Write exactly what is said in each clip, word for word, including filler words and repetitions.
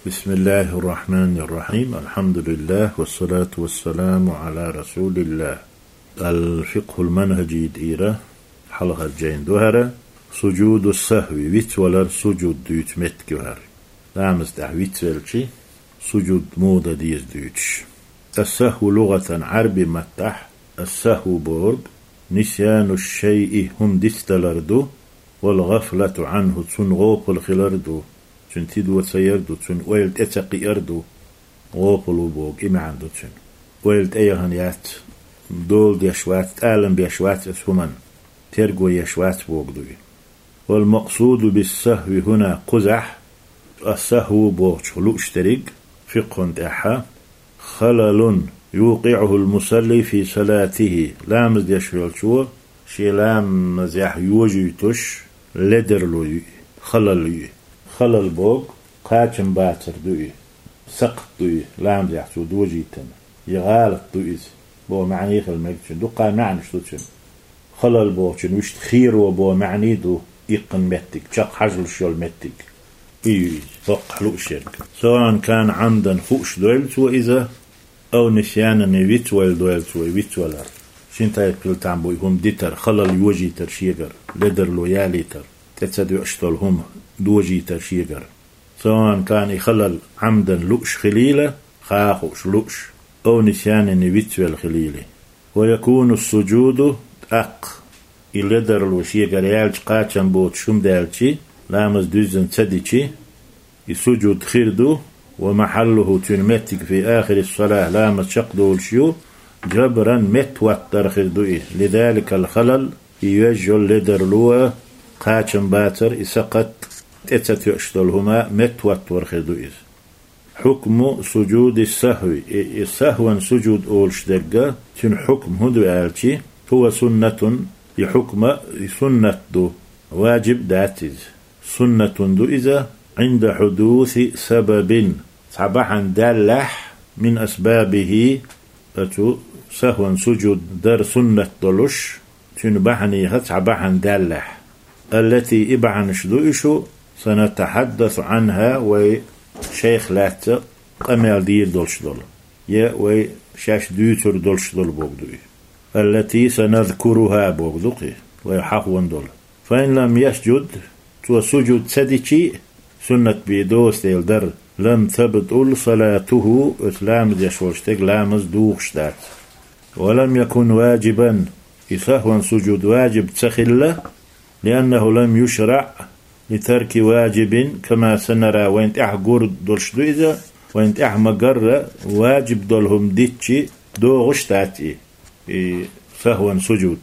بسم الله الرحمن الرحيم. الحمد لله والصلاة والسلام على رسول الله. الفقه المنهجي дийра хьалхара жайна ду хӀара. سجود السهو, вицвалар сужуд дуьйцу меттиг ю хӀара. Ламаз тӀехь вицвелча, сужуд муха дан деза дуьйцуш. السهو لغة, Ӏарбий маттахь السهو бохург نسيان الشيء, хӀума дицдалар ду, والغفلة عنه, цунна гӀопал хилар ду, цуьнан тидо ца яр ду, цуьнан ойла тӀе ца кхиар ду. ГӀопал ву боху, и маьӀна ду цуьнан. Ойла тӀе яхана яц, дола деш вац, тӀалам беш вац оцу хӀуманна, терго еш вац бохург ду и. والمقصود بالسهو هنا, кхузахь, السهو бохучух лууш дерриг, фикъхӀун тӀехь, خلل يوقعه المصلي في صلاته, ламаз деш волчо шен ламазехь йожуьйтуш ледарло ю и, халал ю и. Халал боху кхачам бацар ду и, сакхат ду и, ламазехь цо дожийтина, я гӀалат ду иза боху маьӀна хила мега цуьнан. Дуккха маьӀнаш ду цуьнан. Халал бохучун вуьшта херо боху маьӀна ду, иккхина меттиг, чекххьажалуш йолу меттиг. И ю иза, хӀокхахь лууш ерг. سواء كان عمدا, хууш дойла цо иза, أو نسيانا, я вицвойла дойла цо и вицвалар. Шина тайпа хила там бу и хӀума дитар, халал йожийтар шегара, ледарло ялийтар, тӀе ца доьуш долу хӀума дожийтар шегара. سواء كان, и халал عمدا, лууш хилийла, ха а хууш лууш, أو نسيانا, я вицвелла хилийла. ويكون السجود, тӀаккха и ледарло шегара яьлча, кхачам боцуш хӀума даьлча, ламаз дуьззина ца дича, и сужуд хир ду, ومحله, цуьнан меттиг, في آخر الصلاة, ламаз чекхдолуш ю, جبرا, меттахӀоттар хир ду и, لذلك الخلل, и йоьжна йолу ледарло, кхачам бацар, и сакхат, тӀе ца тоьуш долу хӀума меттахӀоттор хир ду иза. حكم سجود السهو, и, и сахӀван сужуд олуш дерг, цуьнан хьукм хӀун ду аьлча, هو سنة, и хьукма, и суннат ду, ваджиб дац иза. Суннатун ду иза, عند حدوث سبب, цхьа бахьана даьллехь, من أسبابه, оцу сахӀван сужуд дар суннат долуш, цуьнан бахьанех цхьа бахьана даьллехь. التي, и бахьанаш ду уьш, سنتحدث عنها, вай шайх лаьцна къамел дийр долуш долу, я вай шаьш дуьйцур долуш долу бохург ду и. التي سنذكرها бохург ду кхин, вай хьахош долу. فإن لم يسجد, цо сужуд ца дича а, суннат бен доцу дела дар, لم تبطل صلاته, оцу ламаз деш волчу стеган ламаз духуш дац. ولم يكن واجبا, и сахӀван сужуд ваджиб ца хилла, لأنه لم يشرع لترك واجب كما سنرى, вайна тӀаьхьа гур долуш ду иза, вайна тӀаьхьа ма-гарра, ваджиб долу хӀума дича догӀуш дац и, и сахӀван сужуд.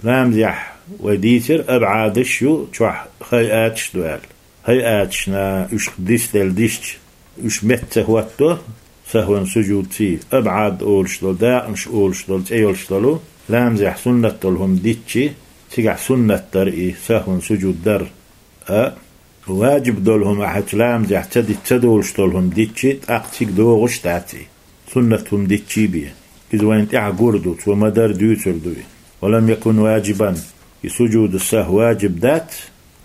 Ламазехь вай дийцира, абӀадаш ю, чохь хайъаташ ду аьлла. ХӀайъаташна уьш дицделла дисча, уьш метта ца хӀотто, сахӀван сужудций, абӀад олуш долу, дакъанаш олуш долу, цӀе йолуш долу, ламазехь суннат долу хӀума диччи, цигахь суннат дара и сахӀван сужуд дар. А ваджиб долу хӀума ахьа цу ламазехь ца дитта ца долуш долу хӀума диччи, тӀаккха цига догӀуш дац и. Суннат хӀума диччий бен. Иза вайна тӀаьхьа гур ду, цо ма-дарра дуьйцур ду и. ولم يكن واجبا, и сужуду сахӀ ваджиб дац,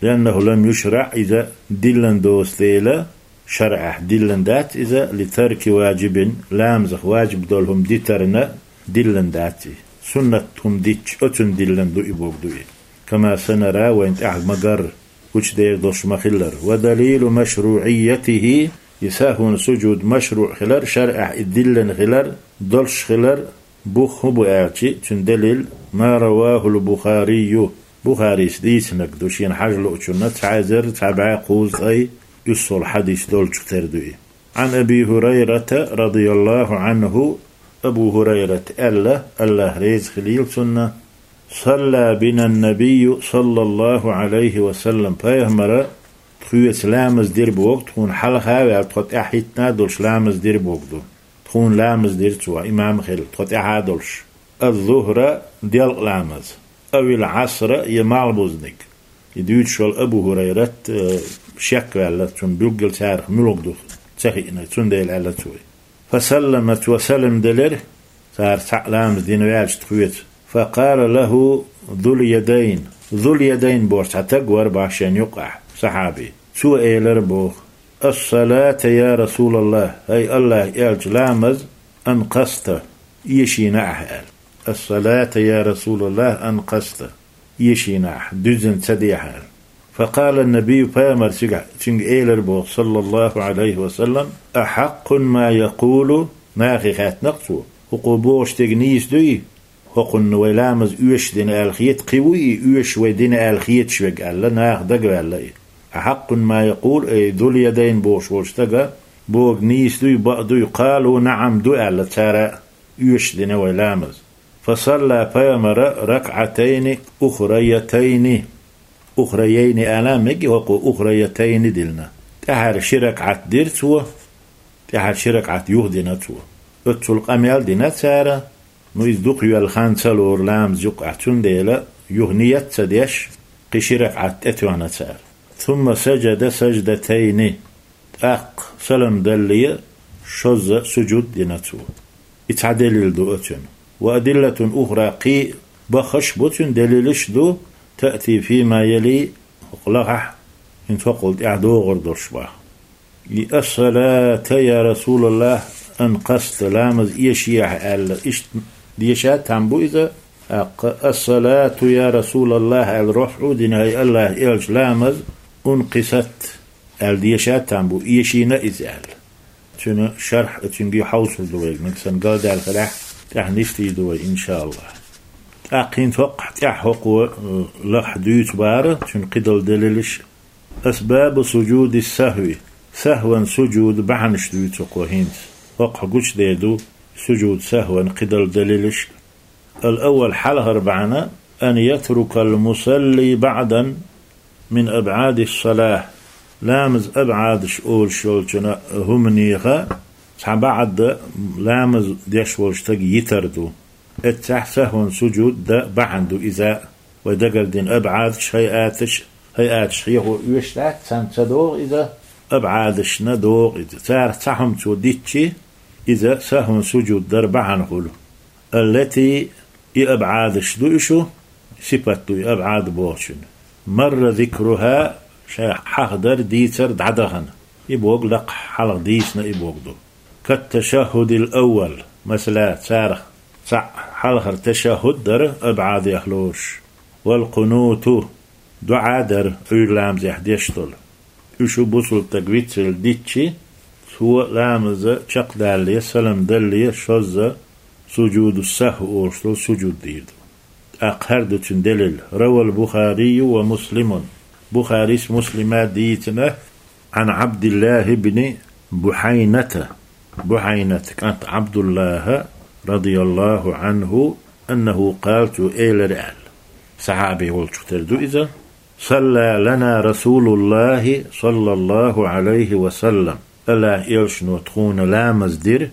لأنه لم يشرع, иза диллина доцу дела, шарӀехь диллина дац иза, لترك واجب, ламазах ваджиб долу хӀума дитарна диллина дац и. Суннат хӀума дичча, оцунна диллина ду и бохург ду и. كما سنرى, вайна тӀаьхьа ма-гарра, гучудер долуш ма-хиллара. ودليل مشروعيته, и сахӀвун сужуд машруӀ хилар, шарӀехь и диллина хилар, долуш хилар, бух хӀун бу аьлчи, цуьнан далил, ما رواه البخاري, Бухарис дийцинарг ду, шена хьажа луучунна, цхьа эзар цхьа бӀе кхузткъе уьссалгӀа хьадис долчух тера ду и. عن أبي هريرة رضي الله عنه, Абу ХӀурайрата аьлла, АллахӀ реза хилийла цунна, صلى بنا النبي صلى الله عليه وسلم, пайхамара тхоьца ламаз дира боху, тхуна хьалха а ваьлла, тхо тӀаьхьахӀиттина а долуш ламаз дира бохург ду. Тхуна ламаз дира цо, имам а хилла, тхо тӀаьхьа а долуш. الظهر, делкъа ламаз, أو العصر, я малхбузниг. И дуьйцуш волу Абу ХӀурайрат, э, шек ваьлла, цунна билггал царах муьлха ду ца хиъна, цундела аьлла цо и. فسلم, цо салам делира, цара цхьаъ ламаз дина ваьлча тхоьца. فقال له ذو اليدين, Зул-Ядайн боху цхьа таг вара бах шен юккъехь, сахьаби. Цо элира боху: «Ас-салата, я Расулаллах, хӀай Аллахь элча, ламаз, анкъаста, эшийна ахь», — аьлла. «Ас-салата, я Расулаллах, анкъаста, эшийна ахь, дуьззина ца дехьа», — аьлла. Факъала набий, пайхамар цигахь, цуьнга элира боху, саллаллаху Ӏалайхи ва саллам: «Ахьаккъун ма якъулу», нахе хаьттина-кх цо, «хӀокхо бохуш дерг нийса дуй? ХӀокхунна вай ламаз оьшуш дина аьлла хета, кхин вуй и оьшуш вай дина аьлла хеташ верг?» — аьлла, наха дагаваьлла и. «Ахьаккъун ма якъул, ай Зул-Ядайн бохуш волчу стага бохург нийса дуй, бакъ дуй?» «Къалу: наӀам, ду», — аьлла цара, оьшуш дина вай ламаз. Фасалла, пайхамара, ракаӀатайни ухраятайни. Ухрайайни ала мега, хӀокхо ухраятайни диллина. ТӀаьхьара ши ракаӀат дира цо, тӀаьхьара ши ракаӀат юха дина цо. Оццул къамел дина цара, ну, иза дукха йоьлла хан ца лору ламаз юкъахь, цундела юха ният а ца деш, кхин ши ракаӀат тӀетоьхна цара. Сумма сажада саждатайни. ТӀаккха салам далле, шозза сужуд дина цо. И цхьа делил ду оцуьнан. Ва адиллатун ухра, кхин баххаш а бу цуьнан, делилаш а ду, таъти фима яли, хӀокху лахахь, хӀинца хӀокхул тӀаьхьа догӀур долуш баха. И: «Ас-салата, я Расулаллах, анкъаста, ламаз эшийна ахь», — аьлла, иштта деша а там бу иза. ТӀаккха: «Ас-салату, я Расулаллах», — аьлла, руфӀу дина, хӀай Аллахь элча, ламаз, «ункъисат», аьлла, деша а там бу, эшийна иза аьлла. Цуьнан шархь, цуьнга хьовсур ду вай, нагахь санна галдаьлла хилахь, тӀаьхьа нисдийр ду вай, иншааллахӀ. ТӀаккха хӀинца хӀокхахь тӀаьхьа хӀокхо, э, лахахь дуьйцу бара, цуьнан кхидолу делилаш. Асбабу сужуди сахви, сахван сужуд бахьанаш дуьйцу кхо хӀинца. ХӀокхахь гучудер ду сужуд сахван кхидолу делилаш. Ал-аввал, хьалхара бахьана, ан ятрукал мусалли баӀдан мин абӀадис-салахь, ламаз абӀадаш олуш йолчун хӀуманех цхьа баӀд ламаз деш волу стаг йитар ду. Эццахь сахван сужуд дан бахьана ду иза, вай дагардина абӀадаш, хӀайъаташ, хӀайъаташ хьехо оьшуш дац, царна ца догӀу иза, абӀадашна догӀу иза. Царах цхьа хӀума цо дитчи, иза сахван сужуд дар бахьана хуьлу. Аллати, и абӀадаш ду и шу, сипат ду и абӀад бохучун. Марра зикруха, ша хьахадар, дийцар дӀадахана. И бохург лакхахь хьалха дийцина и бохург ду. Кат-ташаххудил аввал, масала, царах цхьаъ хьалхара ташаххуд дара абӀадех лоруш. Вал къунуту, дуӀа дара, Ӏуьйра ламазехь деш долу. Уьш бусулба стаг вицвелла дитчи, цо ламаза чекхдалле, салам далле, шозза сужуду сахв олуш долу сужуд дийр ду. ТӀаккха хӀара ду цуьнан делил. Равал Бухарию ва Муслимун. Бухарис, Муслима дийцина, Ӏан Ӏабдиллахи бни Бухьайната. Бухьайнат кӀант Ӏабдуллаха, радияллаху Ӏанху, аннаху къала, цо элира аьлла. Сахьаби волчух тера ду иза. Салла лана Расулуллахи, саллаллаху Ӏалайхи ва саллам. Аллахь элчано тхуна ламаз дира.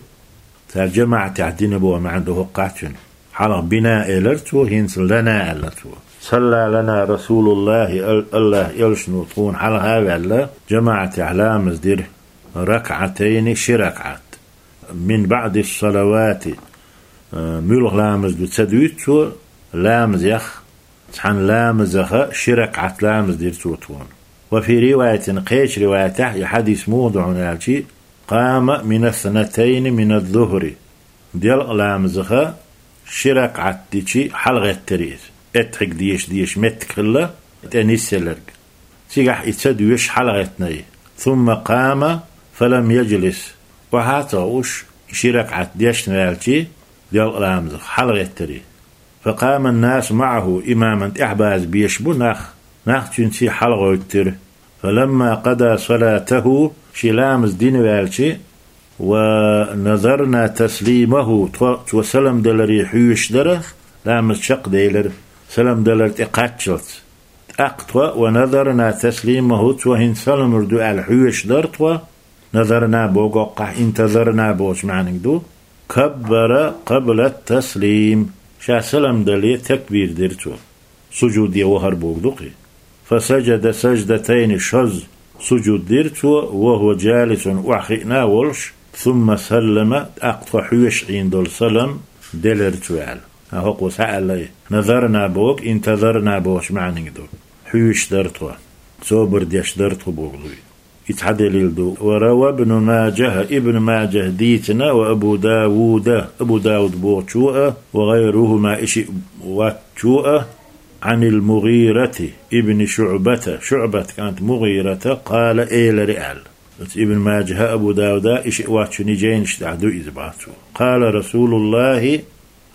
Цара жамаӀатехь дина боху маьӀна ду хӀокхахь цуьнан. Хьалха бина элира цо, хӀинца лана аьлла цо. Салла лана Расулуллахи, ал-, Аллахь элчано тхуна хьалха а ваьлла, жамаӀатехь ламаз дира. РакаӀатайни, ши ракаӀат. Мин баӀдис-салавати, э, муьлха ламаз ду ца дуьйцу цо, ламазех, цхьана ламазаха ши ракаӀат ламаз дира цо тхуна. Ва фи риваятин, кхечу риваятехь, и хьадис муха ду хьуна аьлчи, къама минас-снатайни миназ-зухри, делкъа ламазаха ши ракаӀат дичи хьалагӀеттира иза. Эттхьиг деша-деша меттиг хилла, тӀе нисъелларг. Цигахь и ца доьшуш хьалагӀеттина и. Сумма къама фалам яжлис. Охьа а ца хууш, ши ракаӀат дешна ваьлчи, делкъа ламазах хьалагӀеттира и. Факъаман-насу маӀаху, имаман тӀаьхьа база безаш бу нах, нах цуьнца хьалагӀоьттира. Фаламма къада салатаху, шен ламаз дина ваьлчи, ва назарна таслимаху, тхо, цо салам даларе хьоьжуш дара, ламаз чекхделира, салам далар тӀе кхаччалц. ТӀаккха тхо, ва назарна таслимаху, цо хӀинца салам лур ду аьлла хьоьжуш дара тхо, назарна боху хӀокхахь, интазарна бохучу маьӀниг ду, каббара къаблат-таслим, ша салам дале такбир дира цо, сужуде вахар бохург ду кхин. Фасажада саждатайни, шозза сужуд дира цо, ва хӀува жалисун, охьахиъна а волуш, сумма саллама, тӀаккха тхо хьоьжуш Ӏийна долу салам делира цо аьлла. ХӀокхо схьааьлла и. Назарна бохург интазарна бохучу маьӀниг ду. Хьоьжуш дара тхо. Собар деш дара тхо бохург ду и. И цхьа далил ду. وروى ابن ماجه, Ибн Мажа дийцина, وأبو داود, Абу Дауд бохучо а, وغيرهما, и шиъ воцчо а, عن المغيرة بن شعبة, ШуӀбат кӀант МугӀирата, قال, элира аьлла. Оцу Ибн Мажа а, Абу Дауда а, и шиъ воцчунна жайнаш тӀехь ду иза, бах цо. قال رسول الله,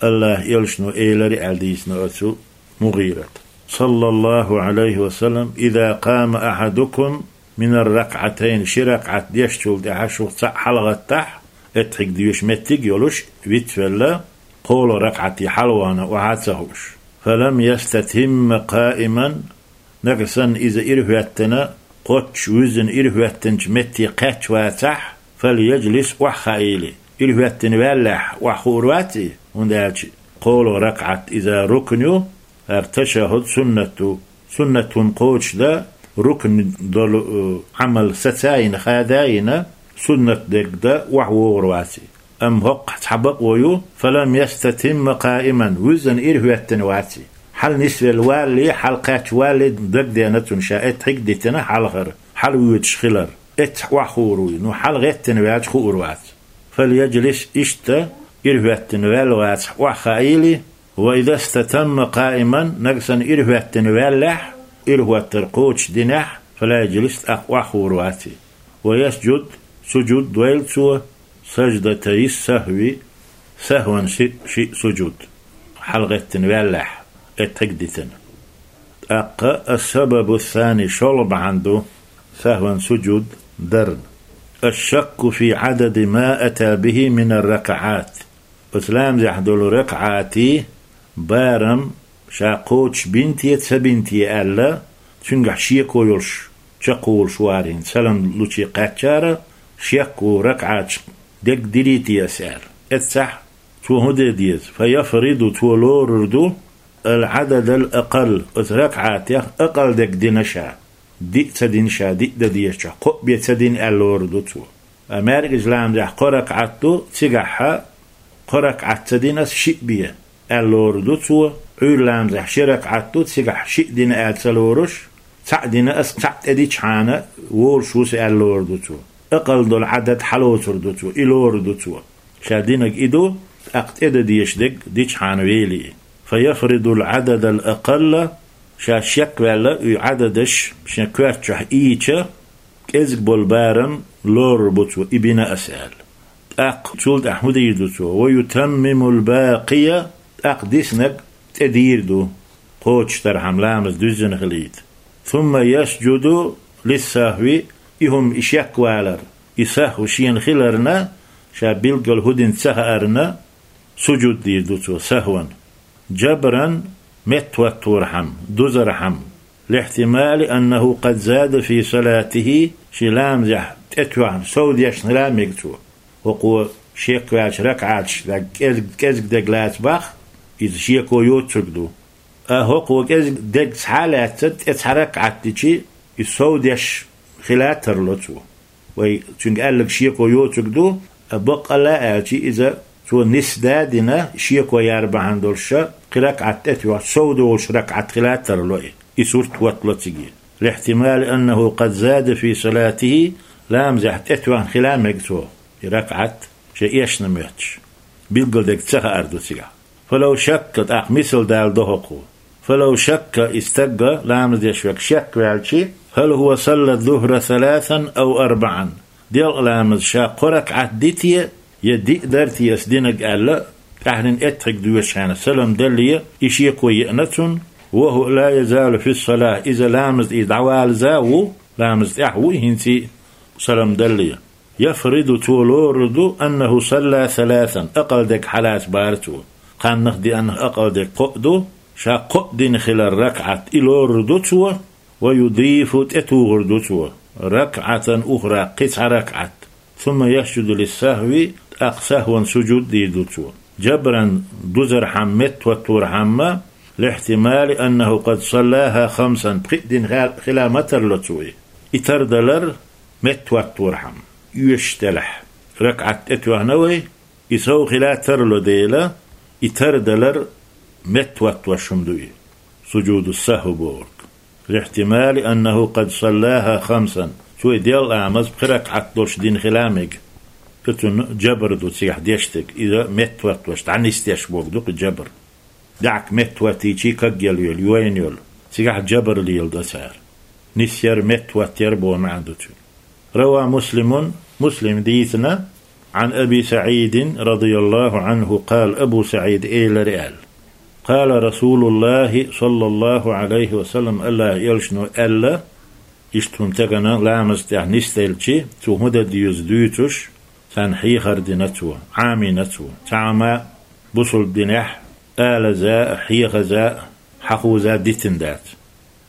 АллахӀан элчано элира аьлла дийцина оцу МугӀирата. صلى الله عليه وسلم: إذا قام أحدكم من الركعتين, ши ракаӀат дешначул тӀаьхьа шух цхьаъ хьалагӀаттахь, эттхьиг доьшу меттиг а йолуш, вицвелла, кхоалгӀа ракаӀате хьалавахана охьа а ца хууш. فلم يستتم قائما, нагахь санна иза ирахӀоьттина, кхоччуш вуьззина ирахӀоьттинчу метте кхаьчна вацахь, فليجلس, охьахаийла. ИрахӀоьттина ваьллехь, охьахуур вац и, хӀунда аьлча кхоалгӀа ракаӀат иза рукн ю, хӀара ташахӀуд суннат ду. Суннат хӀума кхочушдан, рукн долу, э, Ӏамал саца а йина, хада а йина, суннат дерг дан охьавогӀур вац и. Амма хӀокхахь цхьа бакъо ю: فلم يستتم قائما, вуьззина ирахӀоьттина вац и. Хьала нисвелла валале, хьала кхаьчна валале дагадеана цунна ша эттхьиг а дитина хьалхара, хьала воьдуш хилар. Эццахь охьахуур ву и, ну, хьалагӀеттина ваьлча хуур вац. فليجلس, иштта, ирахӀоьттина ваьлла вацахь, охьахаийла, وإذا استتم قائما, нагахь санна ирахӀоьттина ваьллехь, ирахӀоттар кхочушдинехь, فلا يجلس, тӀаккха охьахуур вац и. ويسجد, сужуд дойла цо, سجدتي السهو, сахӀван ши-, шиъ сужуд, хьалагӀеттина ваьллехь, эттхьиг а дитина. ТӀаккха السبب الثاني, шолгӀа бахьана ду сахӀван сужуд дарна: الشك في عدد ما أتى به من الركعات. Оцу ламазехь долу ракаӀатийн барам ша кхочушбина те, ца бина те аьлла, цуьнгахь шеко йолуш чекхволуш вара хӀинца, салам лучу кхаьчнера шек ву, ракаӀаташ дерг дирий те аса аьлла. Эццахь цо хӀун де деза? فيفرض, цо лорур ду, العدد الأقل, оцу ракаӀатех акъал дерг дина ша, диъ ца дина ша, диъ дан дезачохь, кхоъ бен ца дина аьлла лорур ду цо. Ткъа маьркӀажа ламазехь кхо ракаӀат ду, цигахь кхо ракаӀат ца дина аса, шиъ бен аьлла лорур ду цо. Ӏуьйра ламазехь ши ракаӀат ду, цигахь шиъ дина аьлла ца лоруш, цхьаъ дина аса, цхьаъ тӀедичхьана волуш ву аса аьлла лорур ду цо. Акъал долу Ӏадад хьалоцур ду цо, и лорур ду цо. Ша динарг и ду, тӀаккха тӀедан дезаш дерг дичхьана вели и. فيفرض العدد الأقل, ша шек ваьлла и Ӏададаш шен коьрта чохь ийча, кӀезиг болу барам лорур бу цо, и бина аса аьлла. ТӀаккха цул тӀаьхьа хӀун дийр ду цо? ويتمم الباقي, тӀаккха диснарг тӀедийр ду, кхочушдархьама ламаз дуьззина хилийта. ثم يسجد للسهو, и хӀума, и шек валар, и сахӀв шена хиларна, ша билггал хӀун дина ца хаарна, сужуд дийр ду цо сахӀван. جبرا, меттахӀотторхьама, дузархьама, لاحتمال أنه قد زاد في صلاته, шен ламазехь тӀетоьхна, сов дешна хила мега цо. ХӀокхо шек ваьлча ракаӀаташ дерг кӀезиг, кӀезиг дерг лаца бах, иза шеко йоцург ду. Ткъа хӀокхо кӀезиг дерг схьа а лаьцна, тӀе цхьа ракаӀат дичи, и сов деш хила тарло цо. Вай цуьнга аьлларг шеко йоцург ду, а баккъалла а аьлчи, иза цо нисса дина, шеко яр бахьана долуша, кхин ракаӀат тӀетоьхча, сов долуш ракаӀат хила тарло и. И сурт хӀоттало цига. لاحتمال أنه قد زاد في صلاته, ламазехь тӀетоьхна хила мега цо и ракаӀат, шен эшна моьттуш. Билггал дерг ца хаар ду цигахь. فلو شك, тӀаккха мисал дала до хӀокхо. فلو شك, и стаг, ламаз деш верг, шек ваьлчи, هل هو صلى الظهر ثلاثا أو أربعا, делкъа ламаз ша кхо ракаӀат ди те, я диъ дара те аса динарг аьлла, тӀаьхьарниг эттхьиг доьшучу хенахь салам далале, и шеко еана цунна, وهو لا يزال في الصلاة, иза ламаза тӀе дӀавалаза а ву, ламаза тӀехь а ву и хӀинца а, салам далале. يفرض, цо лорур ду, أنه صلى ثلاثا, акъал дерг хьалаца бара цо. Кханнах, деаннах акъал дерг кхоъ ду, ша кхоъ дина хилар ракаӀат, и лорур ду цо, ويضيف, тӀетухур ду цо, ركعة أخرى, кхин цхьа ракаӀат. ثم يسجد للسهو, тӀаккха сахӀван сужуд дийр ду цо. جبرا, дузархьама, меттахӀотторхьама, لاحتمال أنه قد صلاها خمسا, пхиъ дина хила ма тарло цо и. И тардалар меттахӀотторхьама, оьшуш делахь, ракаӀат тӀетоьхна вай, и сов хила тарло дела, и тардалар меттахӀоттош хӀума ду и, сужуду сахӀв бохург. لاحتمال أنه قد صلاها خمسا, Цо и делла ламаз пхи ракаӀат долуш дина хила мега. Цуьнан жабр ду цигахь деш дерг. Иза меттахӀоттош, дӀанисдеш бохург ду кху жабр. ДӀахьа меттахӀоттийча кагъелла йолу, йойна йолу. Цигахь жабр леладо цара. Нисъяр, меттахӀоттаяр боху маьӀна ду цуьнан. روى مسلم, Муслима дийцина, عن أبي سعيد رضي الله عنه قال, Абу СаӀида элира аьлла: قال رسول الله صلى الله عليه وسلم, АллахӀан элчано аьлла, иштта хӀума тахана ламаза тӀехь нисделча, цо хӀун дан деза дуьйцуш, царна хьехар дина цо, Ӏамийна цо. Цхьамма бусалба динехь алаза а, хьехаза а, хьахуза а дитина дац.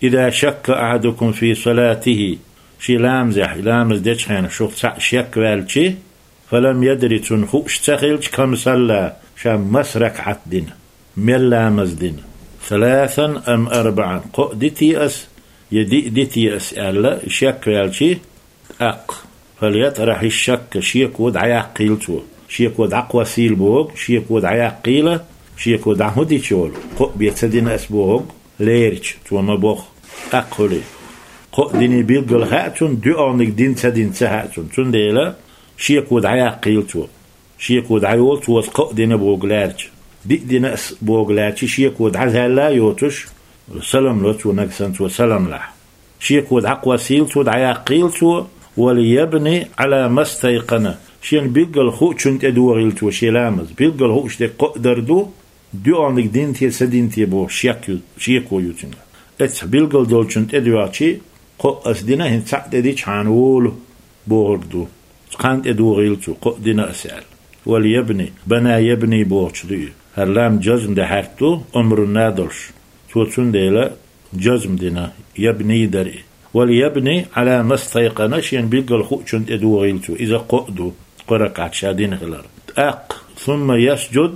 إذا شك أحدكم في صلاته, шен ламазехь, ламаз дечу хенахь шух цхьаъ шек ваьлча, فلم يدر, цунна хууш ца хилча, كم صلى, ша маса ракаӀат дина, мел ламаз дина, ثلاثا أم أربعا, кхоъ дитий ас, я диъ дитий ас аьлла, шек ваьлча, тӀаккха, فليطرح الشك, шеко дӀаяккхийла цо. Шеко дӀакхоссийла бохург, шеко дӀаяккхийла, шеко дӀа хӀун дича йолу, кхоъ бен ца дина ас бохург, лерича, цо ма-бохху, тӀаккха хуьлий. Кхоъ диний билггал хаьа цунна, доьалгӀаниг дина ца дина ца хаьа цунна. Цундела шеко дӀаяккхийла цо. Шеко дӀайолу цо аса кхоъ дина бохург лаьрча. Диъ дина ас бохург лаьрча, шеко дӀазаьлла а йоцуш, салам ло цо, нагахь санна цо салам лахь. Шеко дӀакхоссийла цо, дӀаяккхийла цо, وليبن على ما استيقن, шена билггал хуучунна тӀедогӀийла цо шен ламаз. Билггал хууш дерг кхоъ дар ду, доьалгӀаниг дина те, ца дина те бохуш шек ю, шеко ю цуьнгахь. Эццахь билггал долчунна тӀедоьгӀчий, кхоъ ас дина, хӀинца цхьаъ тӀедичхьана волу бохург ду. Кхана тӀедогӀийла цо, кхоъ дина ас аьлла. وليبن, بنى يبني бохучух ду и. ХӀара лам жазм дан хьаьрк ду, амрунна долуш. Цо цундела жазм дина, ябни дара и. وليبن على ما استيقن, шена билггал хуучунна тӀедогӀийла цо. Иза кхоъ ду, кхо ракаӀат ша дина хилар. ТӀаккха, ثم يسجد,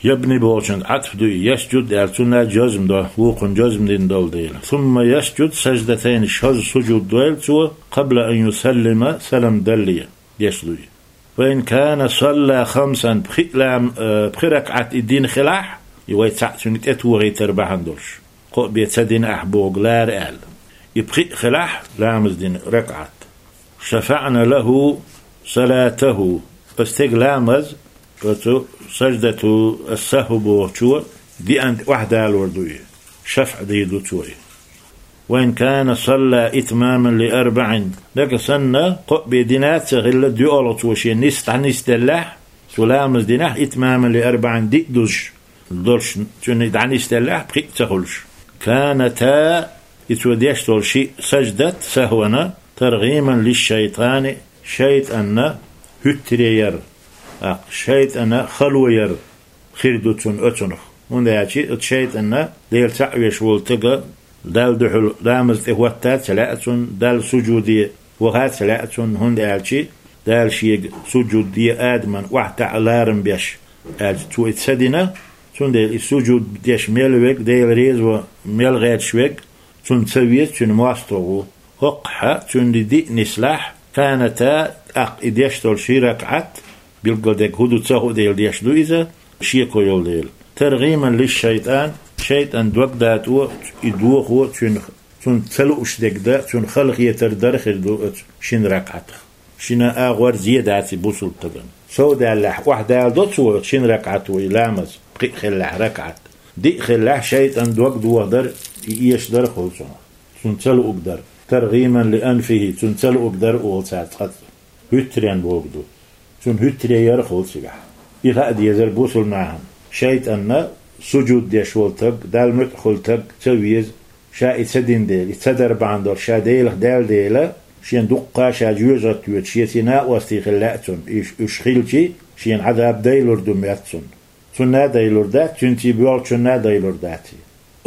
ябни бохучуьнга Ӏатф ду и, ясжуд аьлла, цунна жазм до, вукхунна жазм дина долу дела. ثم يسجد سجدتين, шозза сужуд дойла цо, قبل أن يسلم, салам далле, деш ду и. فإن كان صلى خمسا, пхи лам-, э, пхи ракаӀат и дина хилахь, и вай цхьаъ цуьнга тӀетохийтар бахьана долуш, кхоъ бен ца дина ахь бохург лара аьлла. И пхи а хилахь, ламаз дина ракаӀат. شفعن له صلاته, оцу стеган ламаз, оцу саждату ас-сахв бохучо диъанна тӀе охьадалор ду и, шафӀ дийр ду цо и. وإن كان صلى إتماما لأربع, нагахь санна кхоъ бен дина а ца хилла, доьалгӀа цо шен нис дӀанисделлехь, цо ламаз динехь, إتماما لأربع, диъ дузуш долуш, цуьнан дӀанисделлехь, пхиъ а ца хуьлуш. كانتا, и цо деш долу шиъ саждат сахвана, ترغيما للشيطان, шайтӀанна хӀуьттаре яр, тӀаккха шайтӀанна хало яр хир ду цунна оцунах. ХӀунда аьлча оцу шайтӀанна Дела цхьаъ веш волу стага Далла дуьхьал ламаза тӀе хӀотта а ца лаьа цунна, Далла сужуде ваха а ца лаьа цунна, хӀунда аьлча Дала шега сужуд де адаман охьатаӀа ларам беш, аьлча, цо и ца дина, цундела и сужуд деш мел верг, Дела реза ван мел гӀерташ верг, цунна ца веза, цуьнан мостагӀа ву. ХӀокхахь цуьнан диъ нислахь, كانتا, тӀаккха и деш долу ши ракаӀат, билггал дерг хӀун ду ца хуу дела деш ду иза, шеко йолу дела. ترغيما للشيطان, шайтӀан дог датӀо, и дохо цуьнан, цунна ца лууш дерг дан, цунна халахетар дар хир ду оцу шина ракаӀатах. Шина агӀор зе дац и бусалба стагана. Сов даьллехь, охьадала до цо шина ракаӀато и ламаз, пхиъ хиллехь ракаӀат. Диъ хиллехь, шайтӀан дог дохадар, и эшадар хуьлу цунах. Цунна ца луург дар. ترغيما لأنفه, цунна ца луург дар олу цара цкъацкъа. ХӀуьттаренна бохург ду. Цунна хӀуьттаре яр хуьлу цигахь. И хаа дезара бусалба нахана. ШайтӀанна сужуд деш волу стаг, Далла муьтӀахь хуьлу стаг ца веза, ша и ца дина дела, и ца дар бахьана долуш ша Делах даьлла дела, шена дуккха а ша жоьжахатта воьду, шеца и накъостий хила лаьа цунна, уьш, уьш хилчий, шена Ӏазаб дайлур ду моьтту цунна. Цунна а дайлур дац, цуьнций боьлхучунна а дайлур дац и.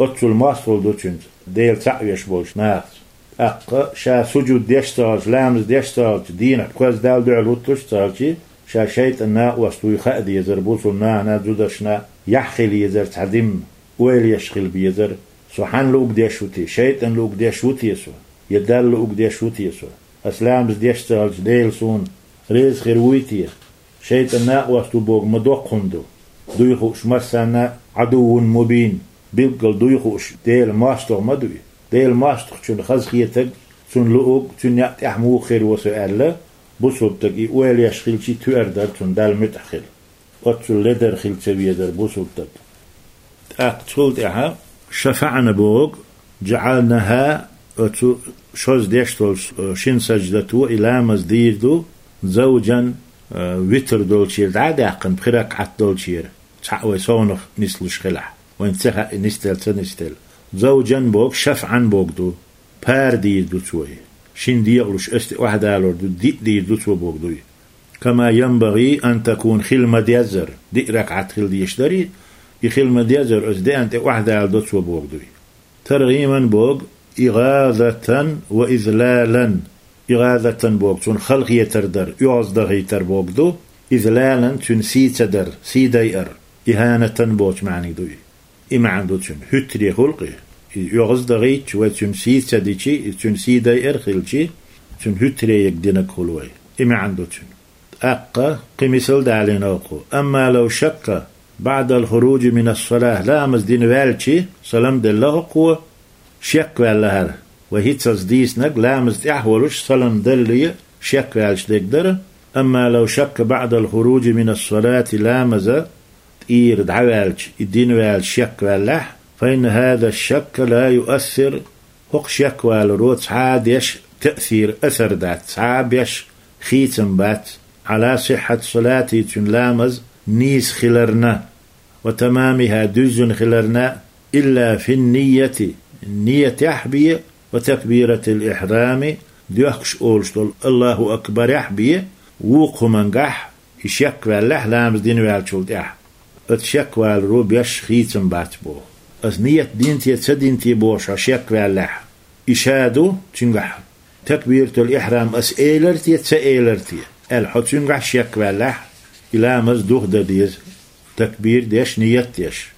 Оццул мостагӀалла ду цуьнца, Дела цхьаъ веш болчу нахаца. ТӀаккха ша сужуд деш ца хилча, ламаз деш ца хилча, дийнахь кхозза Далла дуьхьал хӀуттуш ца хилчий, ша шайтӀан накъост вуй хаа дезара бусалба нахана а, зударшна а, яхь хила езара цхьа димма, ойла еш хила безара: со хьанна луург деш ву те, шайтӀан луург деш ву те со, я Далла луург деш ву те со? Ас ламаз деш ца хилча, Дела суна реза хир вуй те? ШайтӀан накъост ву бохург ма доккха хӀума ду. Дуй хууш массарна а, عدو مبين, билггал дуй хууш Делан мостагӀа ма дуй. Делан мостагӀчунна хазахетарг Цунна луург, цуьнан некъ тӀехь муха хир ву со аьлла, бусулба стаг и ойла еш хилча тоьар дара цунна, Далла муьтӀахь хила. Оццул ледар хила ца везара бусулба стаг. ТӀаккха цул тӀаьхьа шафаӀна боху, жаӀалнахӀа, оцу шозза деш долчу, э, шина саждато и ламаз дийр ду, завжан, э, витр долчуьра дӀа а даьккхина, пхи ракаӀат долчуьра, цхьаъ вай совнах нислуш хилахь. Вайна ца хаьа и нисделла, ца нисделла. Завжан боху, шафаӀан боху ду. Пара дийр ду цо и. Шина декъалуш оцу тӀе охьадалор ду, диъ дийр ду цо боху ду и. Кама янбагӀи ан такун, хила ма-деззара, диъ ракаӀат хила дезаш дара и, и хила ма-деззара оцу деана тӀе охьадала до цо боху ду и. ТаргӀиман боху, игӀазатан ва излалан. ИгӀазатан боху, цунна халахетар дар, оьгӀаздахийтар боху ду, излалан, цуьнан сий ца дар, сий дайар, ихӀанатан бохучу маьӀниг ду и. И маьӀна ду цуьнан, хӀуьттаре хуьлу-кх и. И оьгӀаздахийтча, вай цуьнан сий ца дичи, и цуьнан сий дайар хилчи, цуьнан хӀуьттаре ерг динарг хуьлу вай. И маьӀна ду цуьнан. ТӀаккха кхин мисал далийна оха. Амма лав шакка баӀдал хуружи минас салахь, ламаз дина ваьлчи, салам делла хӀокхо, шек ваьлла хӀара. Вай хӀинццалц дийцинарг, ламаз тӀехь а волуш, салам далале шек ваьлча дерг дара. Амма лав шакка баӀдал хуружи минас салати, ламаза тӀера дӀаваьлча, и дина ваьлча шек ваьллехь, фа инна хӀаза шакка ла юассир, хӀокху шек валаро цхьа а деш таъсир, асар дац, цхьа а беш хийцам бац, Ӏала сихьхьати салати, цуьнан ламаз нийса хиларна, ва тамамихӀа, дуьззина хиларна, илла фин нийяти, нийятехь бен, ва такбиратил ихьрами, доьхкуш олуш долу Аллаху акбарехь бен, вукху хӀумангахь, и шек ваьллехь ламаз дина ваьллачул тӀаьхьа. Оцу шек валаро беш хийцам бац боху. Аса нийят дина те, ца дина те бохуш хьо шек ваьллехь, и ша ду цуьнгахь, такбиратул ихьрам аса элира те, ца элира те аьлла, хьо цуьнгахь шек ваьллехь, и ламаз духадан деза, такбир деш, нийят деш,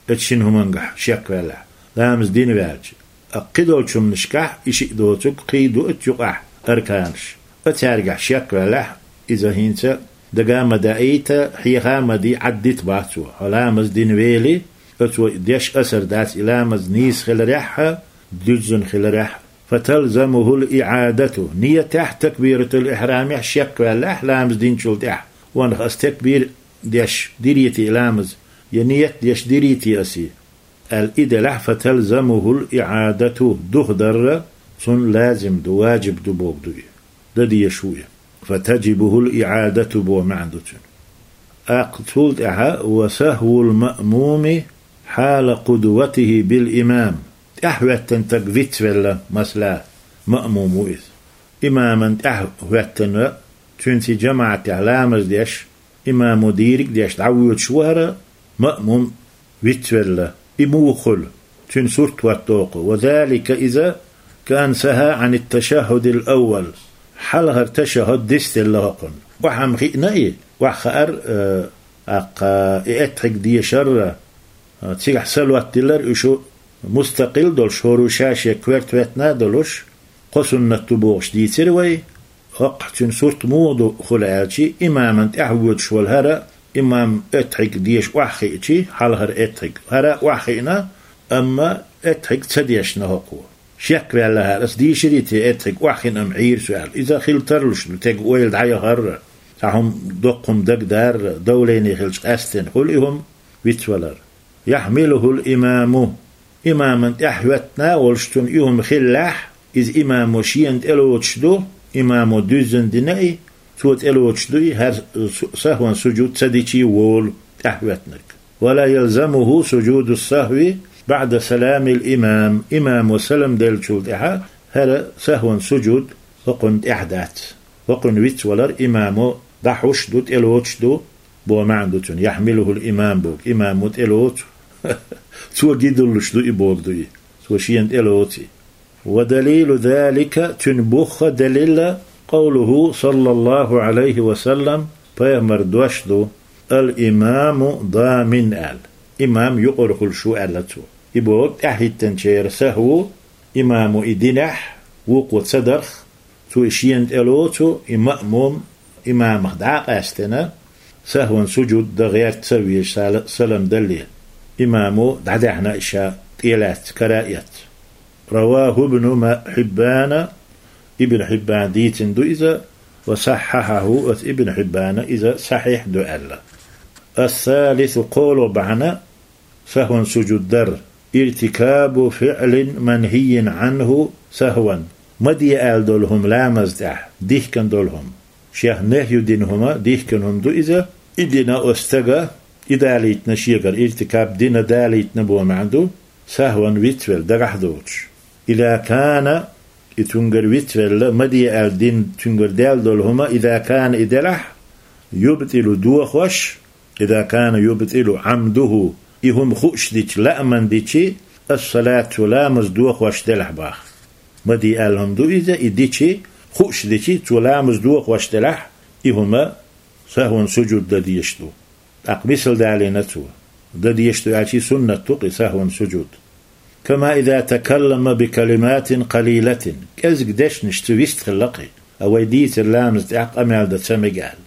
оцу шина хӀумангахь шек ваьллехь, ламаз дина ваьлча. Ткъа кхидолчу хӀуманашкахь и шиъ доцург кхин ду оцу юкъахь арканаш. Оцаьргахь шек ваьллехь, иза хӀинца дага а ма даийта, хьеха а ма дий, Ӏаддита бац цо. Хьо ламаз дина вели, оцо деш асар дац и ламаз нийса хиларехь а, дуьззина хиларехь а. Фаталзамухул иӀадату. Нийятехь, такбиратул ихьрамехь шек ваьллехь ламаз динчул тӀаьхьа, ванах аса такбир деш дирий те и ламаз, я нийят деш дирий те аса и, аьлла, и делахь, фаталзамухул иӀадату, духадар цунна лазим ду, важиб ду боху ду и. Дан дезаш ву и. Фатажибухул иӀадату боху маьӀна ду цуьнан. ТӀаккха цул тӀаьхьа, ва сахӀвул маъмуми хьала къудватихӀи бил имам. ТӀаьхьахӀоьттина стаг вицвелла, масала, маъмум ву иза. Имаман тӀаьхьахӀоьттина, цуьнца жамаӀатехь ламаз деш, имамо дийриг а деш, дӀавоьдуш ву хӀара маъмум вицвелла. И муха хуьлу? Цуьнан сурт хӀотто кху. Ва залика, иза, каан сахӀа Ӏанит ташаххудил аввал. Хьалхара ташаххуд дицделла хӀокхунна. Охьа-м хиъна и, охьахаар, э, тӀаккха и эттхьиг дешар, э, цигахь салот дилар, уьш мустакъил долуш, хӀора ша-шен коьрта хӀоьттина а долуш, кхо суннат ду бохуш дийцира вай. ХӀокхахь цуьнан сурт муха ду хуьлу аьлчи, имаман тӀаьхьавоьдуш волу хӀара, имам эттхьиг деша охьахиъчи, хьалхара эттхьиг, хӀара охьахиъна, амма эттхьиг ца дешна хӀокхо. Шек ваьлла хӀара, ас дийширий те эттхьиг, охьахиъна-м Ӏийра со аьлла. Иза хила тарлуш ду, тега ойла дӀаяхарра, цхьа хӀума, доккха хӀума дагадарра, давление хилча къаьсттина хуьлу и хӀума вицвалар. Яхьмилухул имаму. Имаман тӀаьхьахӀоьттина а волуш цунна и хӀума хиллехь, иза имамо шена тӀелоцуш ду, имамо дуьззина дина и, цо тӀелоцуш ду и, хӀара су-, сахӀван сужуд ца дичий волу тӀаьхьахӀоьттинарг. Ва ла ялзамуху сужудус сахӀви баӀда саламил имам. Имамо салам деллачул тӀаьхьа хӀара сахӀван сужуд хӀокхунна тӀехь дац. ХӀокхунна вицвалар имамо дӀахьуш ду, тӀелоцуш ду, боху маьӀна ду цуьнан, яхьмилухул имам боху, имамо тӀелоцу. Цо гидуллуш ду и боху ду и. Цо шена тӀелоцу и. Ва далилу залика, цуьнан бух а далил а, къавлуху, саллаллаху Ӏалайхи ва саллам, пайхамар дош ду, ал-имаму дамин аьлла. Имам юкъара хуьлуш ву аьлла цо. И боху тӀаьхьахӀиттинчеран сахӀву, имамо и динехь, вукхо ца дарх, цо и шена тӀелоцу, и маъмум имамах дӀа а къаьстина, сахӀван сужуд дан гӀерта ца везаш сала-, салам далале. Имамо дӀадаьхьна и ша тӀелаьцна, кара а эцна. Раваху Ибну Ма-, Хьиббана Ибн Хьиббана дийцина ду иза, ва саххахьаху, ас Ибн Хьиббана иза сахьихь ду аьлла. Ас-салису, кхоалгӀа бахьана сахван сужуд дар, иртикабу фиълин манхийин Ӏанху сахван, ма де аьлла долу хӀума ламаз тӀехь, дихкина долу хӀума. Шех нехью дина хӀума, дихкина хӀума ду иза, и дина оцу стага, и далийтина шегара, иртикаб дина далийтина боху маьӀна ду, сахван вицвелла дагахь доцуш. Иза кана, и цуьнгара вицвелла, ма де аьлла дина цуьнгара даьлла долу хӀума, иза кана и делахь, юбтилу дохош, иза кана юбтилу Ӏамдуху, и хӀума хууш дичи, лааман дичи, ас-салат, цо ламаз дохош делахь боху. Ма де аьлла хӀума ду иза, и дичи, хууш дичи, цо ламаз дохош делахь, и хӀума сахван сужуд дан дезаш ду. ТӀаккха мисал далийна цо. Дан дезаш ду аьлча, суннат ду-кх и сахван сужуд. Кама иза такаллама би калиматин къалилатин, кӀезиг дешнаш цо вистхилла-кх и, а вай дийцира ламаз тӀехь къамел дан ца мега аьлла.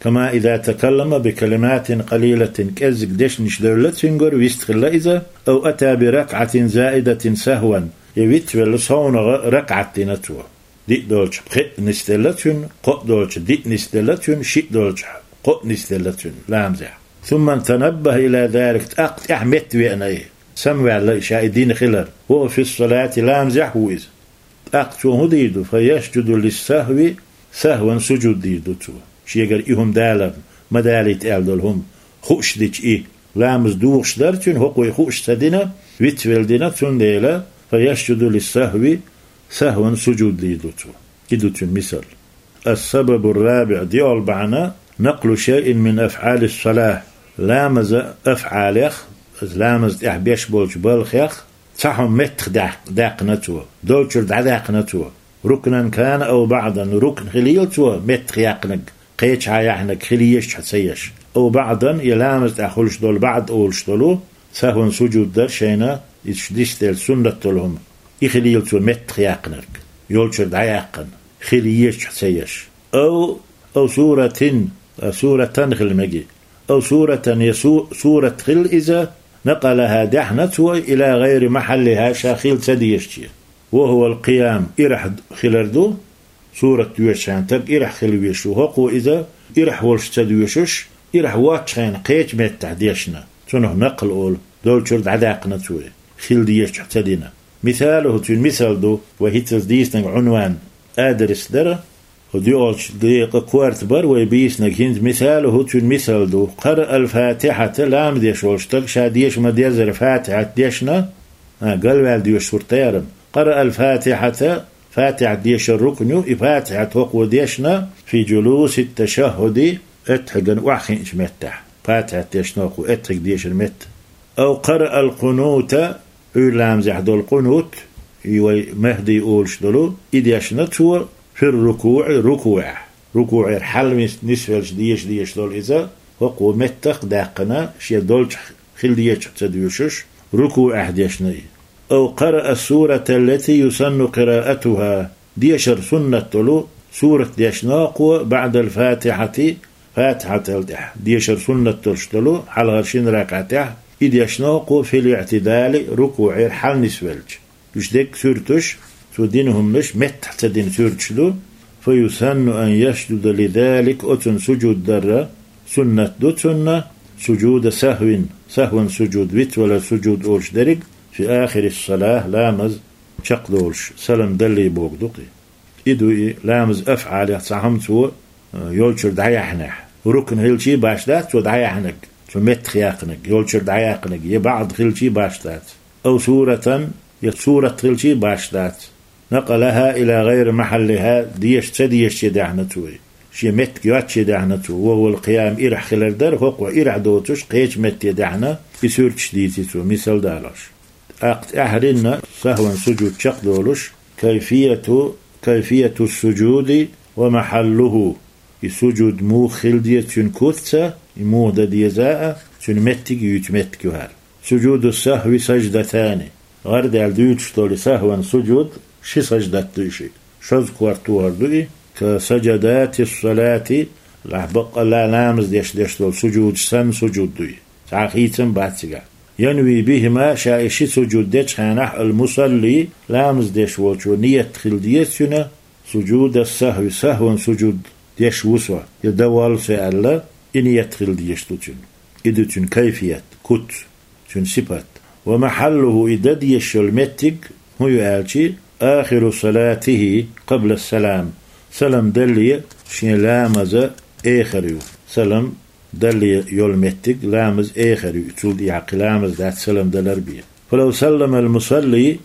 Кама иза такаллама би калиматин къалилатин, кӀеззиг дешнаш девлла цуьнгара, вистхилла иза, ав ата би ракъатин заидатин сахван, я вицвелла совнагӀа ракъат дина цо. Диъ долчу пхиъ нисделла цуьнан, кхоъ долчу диъ нисделла цуьнан, шиъ долчу кхоъ нисделла цуьнан ламазехь. Сумма танаббаха ила залик, тӀаккха тӀаьхьа метта веана и, самаваьлла и ша и дина хилар, ва хува фи ссалати, ламазехь ву иза. ТӀаккха цо хӀун дийр ду? Фа ясжуду лиссахви, сахван сужуд дийр ду цо. Шегара и хӀума даларна, ма далийта аьлла долу хӀума хууш дичи и. Ламаз духуш дара цуьнан, хӀокхо и хууш ца дина, вицвелла дина, цундела, фа ясжуду лиссахви, сахван сужуд дийр ду цо. И ду цуьнан мисал. Ас-сабабу ррабиӀ, диъолгӀа бахьана, накълу шайин мин афӀали ссалахь, ламаза афӀалех, ламаз тӀехь беш болчу балхех, цхьа хӀума меттах даьккх-, даьккхина цо, долчуьра дӀадаьккхина цо. Рукнан кана ав баӀдан, рукн хилийла цо меттах яьккхинарг, кхечахьа яьхьнарг, хила езачохь ца еш. Ав баӀдан, я ламаз тӀехь хуьлуш долу баӀд олуш долу, сахван сужуд дар шайна, иза шу дисделла суннат долу хӀума, и хилийла цо меттах яьккхинарг, йолчуьра дӀаяьккхина, хила езачохь ца еш. Ав, ав суратин, а, суратан хила меги. Ав суратан, я су-, сурат хила иза, накъалаха, даьхьна цо, ила гӀайри махьаллиха, ша хила ца дезаче. Ва хува алкъиям, ирахь хилар ду, сурат доьшучу хенахь стаг ирахь хила везаш ву, хӀокхо иза ирахь волуш ца доьшуш, ирахь воцчу хенахь кхечу меттехь дешна, цунах накъл олу, долчуьра дӀадаьккхина цо, хила дезачохь ца дина. Мисалуху, цуьнан мисал ду, вай хӀинццалц дийцинарг, Ӏунван, адрес дара, хӀу доьалгӀачу декъа корта бара вай бийцинарг хӀинца, мисалуху, цуьнан мисал ду. Къараа ал-Фатихьата, ламаз деш волу стаг ша деша ма-деззара Фатихьат дешна, а, галваьлла доьшуш хӀума дац-кх. Къараа ал-Фатихьата, Фатихьат дешар рукн ю, и Фатихьат хӀокхо дешна, фи джулуси тташаххуди, аттахьиган охьахиъначу меттехь. Фатихьат дешна хӀокхо аттахьиг дешар метта. Ав къараа ал-къунута, Ӏуьйра ламазехь долу къунут, и вай Махди олуш долу, и дешна цо, фир рукуӀи, рукуӀехь. РукуӀера хьалнис-, нисвелча деша дезаш долу иза, хӀокхо меттах даьккхина, шен долчохь хила дезачохь ца доьшуш, рукуӀехь дешна и. Ав къараа ас-сурата аллати юсанну къираатуха, дешар суннат долу сурат дешна хӀокхо, баӀдал-Фатихьати, Фатихьатал тӀаьхьа дешар суннат долуш долу, хьалхара шина ракаӀатехь, и дешна хӀокхо, фил-иӀтидали, рукуӀера хьалнисвелча. Уьш дерриг суьрташ, цо дина хӀуманаш меттах ца дина суьрташ ду, фа юсанну ан ясжуда лизалик, оцунна сужуд дарра суннат ду цунна, сужуда сахвин, сахван сужуд, вицвалар сужуд олуш дерриг, фи ахири ссалахь, ламаз чекхдолуш, салам даллий бохург ду-кх и. И ду и, ламаза афӀалех цхьа хӀума цо, э, йолчуьра дӀаяьхьнехь. Рукн хилчий башха дац цо дӀаяьхьнарг, цо меттах яьккхинарг, йолчуьра дӀаяьккхинарг, я баӀд хилчий башха дац. Ав суратан, я сурат хилчий башха дац. Накъалаха ила гӀайри махьаллиха, деша ца дезаче даьхьна цо и. Шен меттиг йоцче даьхьна цо, ва хува алкъиям, ирахь хилар дара, хӀокхо ирахь доцуш кхечу метте даьхьна, и суьрташ дийци цо, мисал далош. ТӀаккха тӀаьххьарнина сахван сужуд чекхдолуш, кайфияту, кайфияту ссужуди ва махьаллуху. И сужуд муха хила деза, цуьнан куц а, и муха дан деза а, цуьнан меттиг а юьйцу меттиг ю хӀара. Сужуду ссахви саждатани. ГӀарадаьлла дуьйцуш долу и сахван сужуд ши саждат ду и шиъ. Шозза корта тохар ду и, ка сажадати ссалати, лахь баккъалла ламаз деш деш долу сужудаш санна сужуд ду и. Цхьа хийцам бац цигахь. Янви бихима, ша и ши сужуд дечу хенахь, ал-мусалли, ламаз деш волчо ният хила деза цуьнан, سجود السهو, сахӀван сужуд деш ву со, я дан воллу со аьлла, и ният хила дезаш ду цуьнан. И ду цуьнан кайфият, куц, цуьнан сипат. ومحله, и дан дезаш йолу меттиг хӀун ю аьлча, آخر صلاته قبل السلام, салам далале шен ламазан эхар ю. Салам далале йолу меттиг ламазан эхар ю, цул тӀаьхьа кхин ламаз дац салам далар бен. فلو سلم المصلي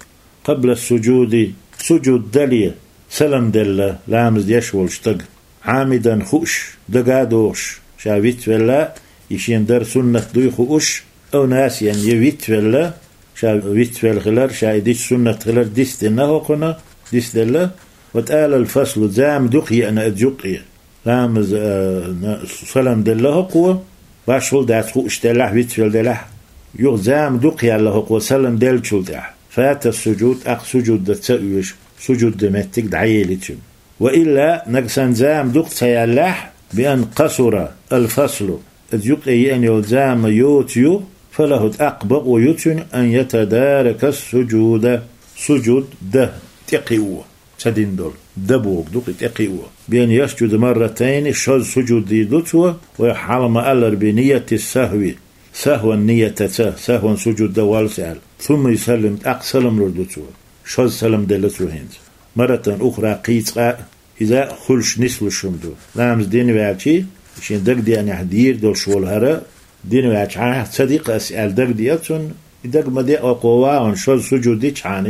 قبل السجود, сужуд далале салам делла ламаз деш волу стаг, عامدا, хууш, дага а дохуш, ша вицвелла, и шен дар суннат дуй хууш, أو ناسيا, я вицвелла, ша вицвелла хилар, ша и дича суннат хилар дицдина хӀокхунна, дицделла, وطال الفصل, зама дукха еана иза юккъе. Ламаз, а, на, салам делла хӀокхо, башхалла дац хууш делахь, вицвелла делахь, юха зама дукха яьлла хӀокхо салам деллачул тӀаьхьа. فات السجود, тӀаккха сужуд дан ца оьшу, сужуд дан меттиг дӀаели цуьнан. وإلا, нагахь санна зама дукха ца яьллехь, بأن قصر الفصل, иза юккъе еана йолу зама йоцу ю, فله, тӀаккха бакъо ю цуьнан, أن يتدارك السجود, сужуд дан тӀекхио, ца дина долу дан бохург ду кхин, тӀекхио. بأن يسجد مرتين, шозза сужуд дийр ду цо, вай хьалха ма-аллара, بنية السهو, сахӀван ниятаца, сахӀван сужуд дан воллу со аьлла. ثم يسلم, тӀаккха салам лур ду цо. Шозза салам делла цо хӀинца. مرة أخرى, кхин цкъа а иза хуьлуш нислуш хӀума ду. Ламаз дина ваьлча, шен дагадеанехь дийр долуш волу хӀара, дина ваьлча, хьан ца ди-кх ас аьлла дагадеа цунна, и дага ма деа, хӀокхо вахана шозза сужуд дичхьана,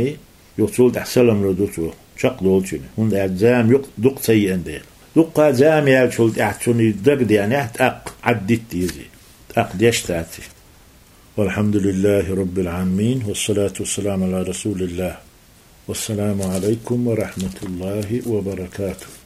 юха цул тӀаьхьа салам лур ду цо, чекхдолу цуьнан, хӀунда аьлча зама юкъ-, дукха ца еана дела. Дуккха а зама яьллачул тӀаьхьа цунна и дагадеанехь, тӀаккха Ӏаддитта деза, тӀаккха деш дац и. والحمد لله رب العالمين, والصلاة والسلام على رسول الله. والسلام عليكم ورحمة الله وبركاته.